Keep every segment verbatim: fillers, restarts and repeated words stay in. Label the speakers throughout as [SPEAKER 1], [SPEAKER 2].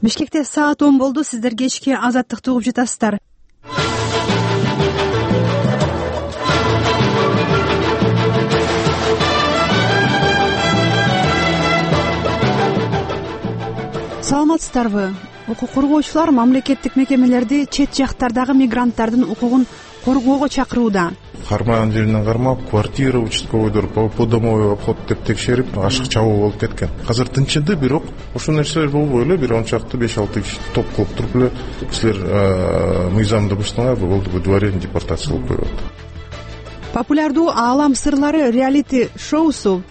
[SPEAKER 1] Бишкекте саат он болду. Сиздер кечки Азаттыкты угуп жатасыздар. Саламатсыздарбы? Укук коргоочулар мамлекеттик мекемелерди чет жактардагы мигранттардын укугун коргоого чакырууда.
[SPEAKER 2] Кармаган жеринен кармап, квартира участковойдор по домовой обход деп текшерип, ашык чабуу болуп кеткен. Азыр тынчыды, бирок ошол нерселер болбой эле бир он чакты беш алты киши топ кылып туруп эле силер мыйзамды буштуңар, болду бу дворянин депортация кылып коет.
[SPEAKER 1] Популярдуу Аалам сырлары реалити шоусу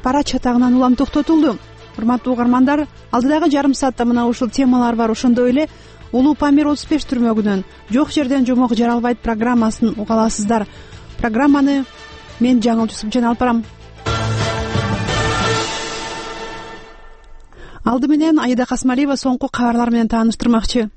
[SPEAKER 1] Пара чатагынан улам токтотулду. Урматтуу угармандар, алдыдагы жарым саатта мына ушул темалар бар. Ошондой эле Улуу Памир отуз беш түрмөгүнөн жок жерден жомок жаралбайт программасын уга аласыздар. Программаны мен Жаңыл Жусупжан алып барам. Алды менен Аида Касмалиева соңку кабарлар менен тааныштырмакчы.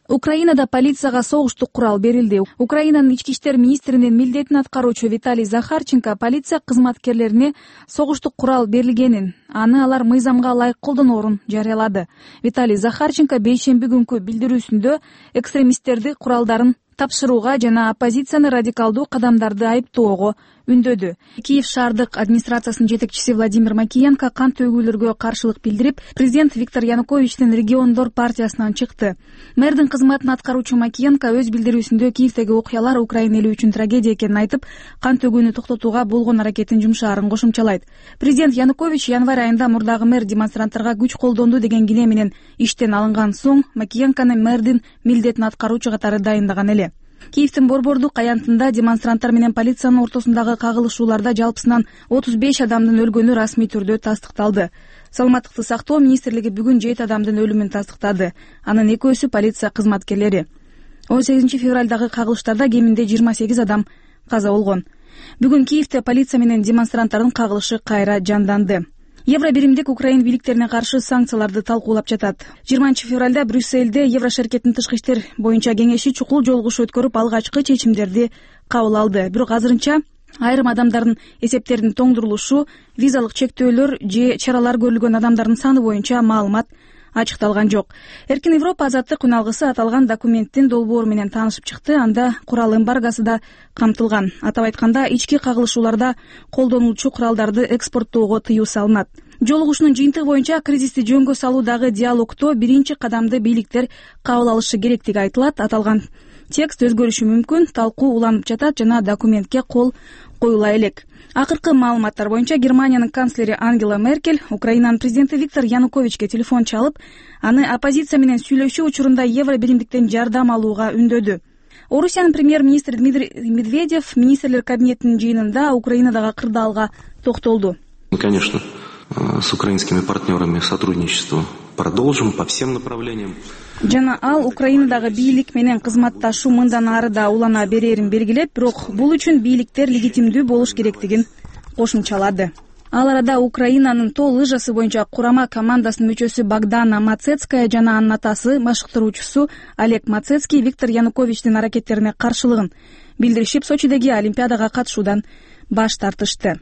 [SPEAKER 3] Украинада полицияга согуштук курал берилди. Украинанын ички иштер министринин милдетин аткаруучу Виталий Захарченко полиция кызматкерлерине согуштук курал берилгенин, аны алар мыйзамга ылайык колдоноорун жарыялады. Виталий Захарченко бейшемби күнкү билдирүүсүндө экстремисттерди куралдарын тапшырууга жана оппозицияны радикалдуу кадамдарды айыптоого үндөдү. Киев шаардык администрациясынын жетекчиси Владимир Макиенко кан төгүүлөргө каршылык билдирип, президент Виктор Януковичтин региондор партиясынан чыкты. Мэрдин кызматын аткаруучу Макиенко өз билдирүүсүндө Киевдеги окуялар Украина эли үчүн трагедия экенин айтып, кан төгүүнү токтотууга болгон аракетин жумшаарын кошумчалайт. Президент Янукович январь айында мурдагы мэр демонстранттарга күч колдонду деген кине менен иштен алынган соң Макиенкону мэрдин милдетин аткаруучу катары дайындаган эле. Киевдин Борбордук аянтында демонстранттар менен полициянын ортосундагы кагылышууларда жалпысынан отуз беш адамдын өлгөнү расмий түрдө тастыкталды. Саламаттыкты сактоо министрлиги бүгүн жети адамдын өлүмүн тастыктады. Анын экөөсү полиция кызматкерлери. он сегизинчи февралдагы кагылыштарда кеминде жыйырма сегиз адам каза болгон. Бүгүн Киевде полиция менен демонстранттардын кагылышы кайра жанданды. Евробиримдик Украин бийликтерине каршы санкцияларды талкуулап жатат. жыйырманчы февралда Брюссельде Еврошеркеттин тышкы иштер боюнча кеңеши чукул жолугуш өткөрүп алгачкы чечимдерди кабыл алды. Бирок азырынча айрым адамдардын эсептеринин тоңдурулушу, визалык чектөөлөр же чаралар көрүлгөн адамдардын саны боюнча маалымат ачыкталган жок. Эркин Европа азаттык үналгысы аталган документтин долбоору менен таанышып чыкты. Анда курал эмбаргасы да камтылган. Атап айтканда, ички кагылышууларда колдонулчу куралдарды экспорттоого тыюу салынат. Жолугушуунун жыйынтыгы боюнча кризисти жөнгө салуудагы диалогто биринчи кадамды бийликтер кабыл алышы керектиги айтылат. Аталган текст өзгөрүшү мүмкүн, талкуу уланып жатат жана документке кол коюла элек. Акыркы маалыматтар боюнча Германиянын канцлери Ангела Меркель Украинанын президенти Виктор Януковичке телефон чалып, аны оппозиция менен сүйлөшүү учурунда Евробиримдиктен жардам алууга үндөдү. Орусиянын премьер-министри Дмитрий Медведев министрлер кабинетинин жыйынында Украинадагы кырдаалга токтолду.
[SPEAKER 4] Мы, конечно, с украинскими партнерами сотрудничество продолжим по всем направлениям.
[SPEAKER 3] Жана ал Украинадагы бийлик менен кызматташуу мындан ары да улана берерин белгилеп, бирок бул үчүн бийликтер легитимдүү болуш керектигин кошумчалады. Ал арада Украинанын тоо лыжасы боюнча курама командасынын мүчөсү Богдана Мацецкая жана анын атасы машыктыруучусу Олег Мацецкий Виктор Януковичтин аракеттерине каршылыгын билдиришип, Сочидеги Олимпиадага катышуудан баш тартышты.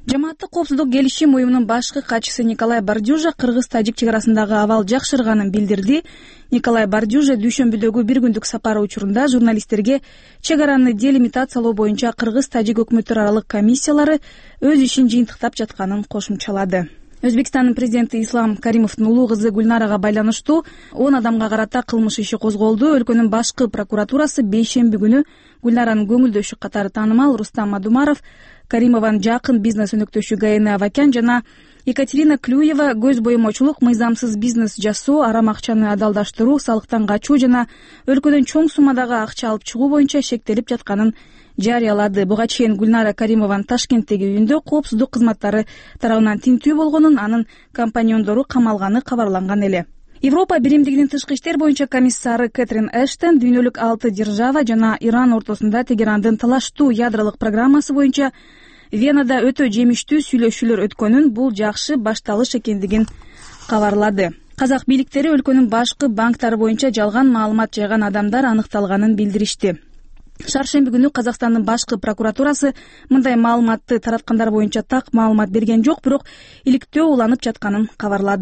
[SPEAKER 3] Жамааттык коопсуздук келишим уюмунун башкы катчысы Николай Бардюжа кыргыз-тажик чек арасындагы абал жакшырганын билдирди. Николай Бардюжа дүйшөмбүдөгү бир күндүк сапары учурунда журналисттерге чек араны делимитациялоо боюнча кыргыз-тажик өкмөттөр аралык комиссиялары өз ишин жыйынтыктап жатканын кошумчалады. Өзбекстандын президенти Ислам Каримовдун улуу кызы Гүлнарага байланыштуу он адамга карата кылмыш иши козголду. Өлкөнүн башкы прокуратурасы бейшемби күнү Гүлнаранын көңүлдөшү катары таанымал Рустам Мадумаров, Каримованын жакын бизнес өнөктөшү Гаэне Авакян жана Екатерина Клюева көз боемочулук, мыйзамсыз бизнес жасоо, арам акчаны адалдаштыруу, салыктан качуу жана өлкөдөн чоң суммадагы акча алып чыгуу боюнча шектелип жатканын жарыялады. Буга чейин Гүлнара Каримованын Ташкенттеги үйүндө коопсуздук кызматтары тарабынан тинтүү болгонун, анын компаньондору камалганы кабарланган эле. Европа биримдигинин тышкы иштер боюнча комиссары Кэтрин Эштон дүйнөлүк алты держава жана Иран ортосунда Тегерандын талаштуу ядролук программасы боюнча Венада өтө жемиштүү сүйлөшүүлөр өткөнүн, бул жакшы башталыш экендигин кабарлады. Казак бийликтери өлкөнүн башкы банктары боюнча жалган маалымат жайган адамдар аныкталганын билдиришти. Шаршемби күнү Казакстандын башкы прокуратурасы мындай маалыматты тараткандар боюнча так маалымат берген жок, бирок иликтөө уланып жатканын кабарлады.